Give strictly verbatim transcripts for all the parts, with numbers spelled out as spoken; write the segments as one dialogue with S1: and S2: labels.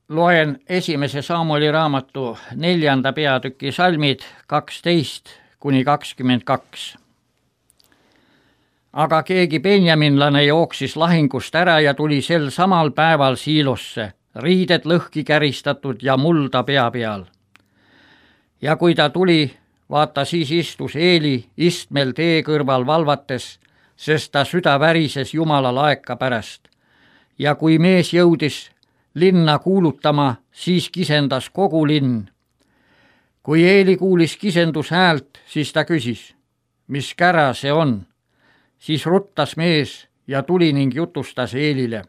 S1: Loen esimese Samueli raamatu neljanda peatüki salmid kaksteist kuni kakskümmend kaks. Aga keegi benjaminlane jooksis lahingust ära ja tuli sel samal päeval Siilosse, riided lõhki käristatud ja mulda pea peal. Ja kui ta tuli, vaata siis istus Eeli istmel tee kõrval valvates, sest ta süda värises Jumala laeka pärast. Ja kui mees jõudis linna kuulutama, siis kisendas kogu linn. Kui Eeli kuulis kisendus häält, siis ta küsis, mis kära see on? Siis ruttas mees ja tuli ning jutustas Eelile.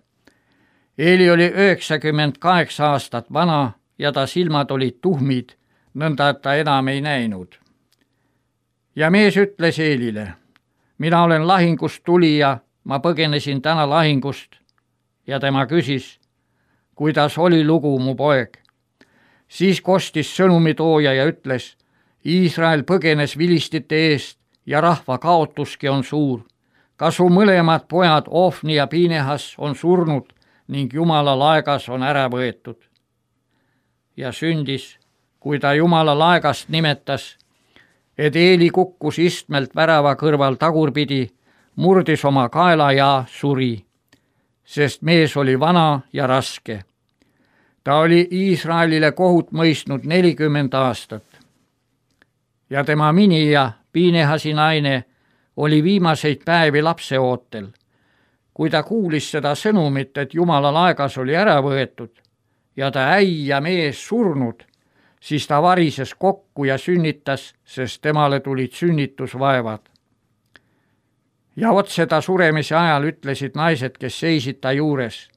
S1: Eeli oli üheksakümmend kaheksa aastat vana ja ta silmad olid tuhmid, nõnda et ta enam ei näinud. Ja mees ütles Eelile, mina olen lahingust tulija, ma põgenesin täna lahingust. Ja tema küsis, kuidas oli lugu, mu poeg? Siis kostis sõnumitooja ja ütles, Iisrael põgenes vilistite eest ja rahva kaotuski on suur. Ka su mõlemad pojad Ofni ja Pinehas on surnud ning Jumala laegas on ära võetud. Ja sündis, kui ta Jumala laegast nimetas, et Eeli kukkus istmelt värava kõrval tagurpidi, murdis oma kaela ja suri, sest mees oli vana ja raske. Ta oli Iisraelile kohut mõistnud nelikümmend aastat. Ja tema minija, Pinehasi naine, oli viimaseid päevi lapseootel. Kui ta kuulis seda sõnumit, et Jumala laegas oli ära võetud ja ta äi ja mees surnud, siis ta varises kokku ja sünnitas, sest temale tulid sünnitusvaevad. Ja otse ta suremise ajal ütlesid naised, kes seisid ta juures,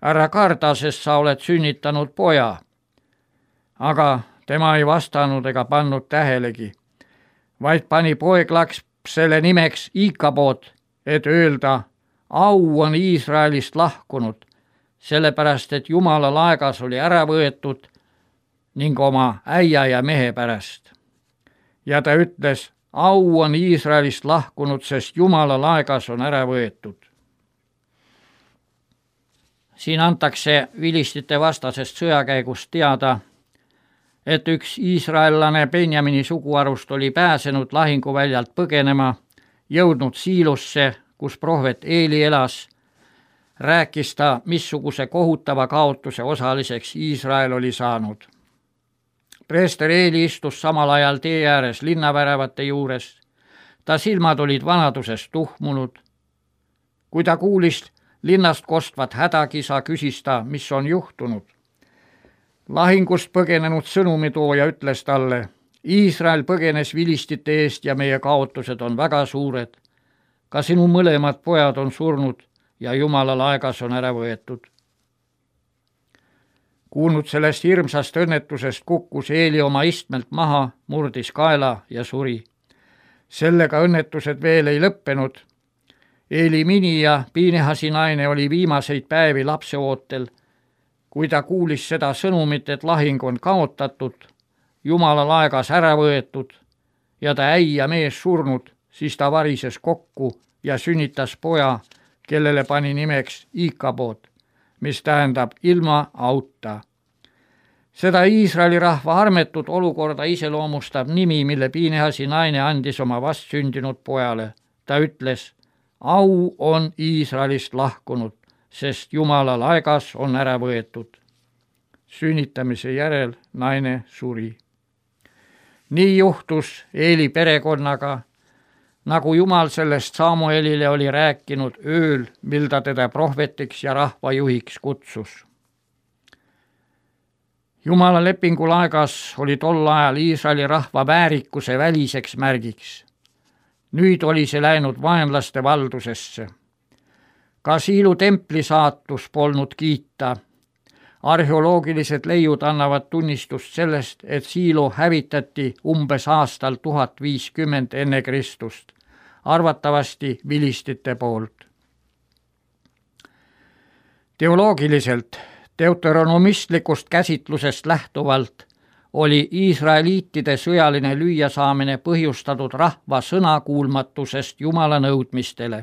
S1: ära karda, sest sa oled sünnitanud poja. Aga tema ei vastanud ega pannud tähelegi, vaid pani poeglaks selle nimeks Ikabod, et öelda, au on Iisraelist lahkunud, sellepärast et Jumala laegas oli ära võetud ning oma äia ja mehe pärast. Ja ta ütles, au on Iisraelist lahkunud, sest Jumala laegas on ära võetud. Siin antakse vilistite vastasest sõjakäigust teada, et üks iisraellane Benjamini suguarust oli pääsenud lahinguväljalt põgenema, jõudnud Siilosse, kus prohvet Eeli elas, rääkis ta, missuguse kohutava kaotuse osaliseks Iisrael oli saanud. Preester Eeli istus samal ajal tee ääres linnaväravate juures. Ta silmad olid vanadusest tuhmunud. Kui ta kuulis linnast kostvat hädakisa, küsis ta, mis on juhtunud. Lahingust põgenenud sõnumitooja ütles talle, Iisrael põgenes vilistite eest ja meie kaotused on väga suured. Ka sinu mõlemad pojad on surnud ja Jumala laegas on ära võetud. Kuulnud sellest hirmsast õnnetusest kukkus Eeli oma istmelt maha, murdis kaela ja suri. Sellega õnnetused veel ei lõppenud. Eeli minija, Pinehasi naine, oli viimaseid päevi lapseootel. Kui ta kuulis seda sõnumit, et lahing on kaotatud, Jumala laegas ära võetud ja ta äi ja mees surnud, siis ta varises kokku ja sünnitas poja, kellele pani nimeks Ikabod, mis tähendab ilma auta. Seda Iisraeli rahva armetut olukorda iseloomustab nimi, mille Pinehasi naine andis oma vastsündinud pojale. Ta ütles, au on Iisraelist lahkunud, sest Jumala laegas on ära võetud. Sünnitamise järel naine suri. Nii juhtus Eeli perekonnaga, nagu Jumal sellest Samuelile oli rääkinud ööl, mil ta teda prohvetiks ja rahvajuhiks kutsus. Jumala lepingu laegas oli tol ajal Iisraeli rahva väärikuse väliseks märgiks. Nüüd oli see läinud vaenlaste valdusesse. Ka Siilu templi saatus polnud kiita. Arheoloogilised leiud annavad tunnistust sellest, et Siilu hävitati umbes aastal tuhat viiskümmend enne Kristust, arvatavasti vilistite poolt. Teoloogiliselt, deuteronomistlikust käsitlusest lähtuvalt oli iisraeliitide sõjaline lüüasaamine põhjustatud rahva sõnakuulmatusest Jumala nõudmistele.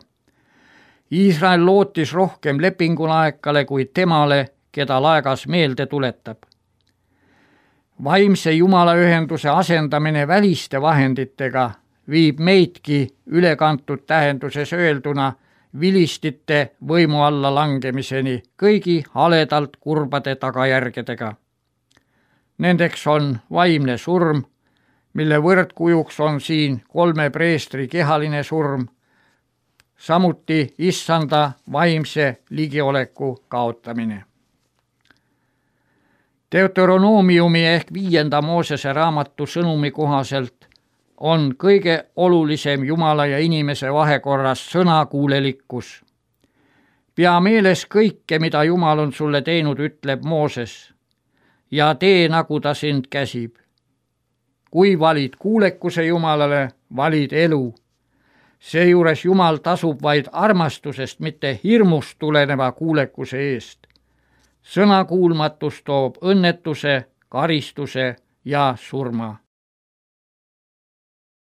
S1: Iisrael lootis rohkem lepingulaekale kui temale, keda laegas meelde tuletab. Vaimse jumalaühenduse asendamine väliste vahenditega viib meidki ülekantud tähenduses öelduna vilistite võimu alla langemiseni kõigi haledalt kurbade tagajärgedega. Nendeks on vaimne surm, mille võrdkujuks on siin kolme preestri kehaline surm, samuti issanda vaimse ligioleku kaotamine. Deuteronoomiumi ehk viienda Moosese raamatu sõnumi kohaselt on kõige olulisem Jumala ja inimese vahekorras sõnakuulelikkus. Pea meeles kõike, mida Jumal on sulle teinud, ütleb Mooses, ja tee, nagu ta sind käsib. Kui valid kuulekuse Jumalale, valid elu. Seejuures Jumal tasub vaid armastusest, mitte hirmust tuleneva kuulekuse eest. Sõnakuulmatus toob õnnetuse, karistuse ja surma.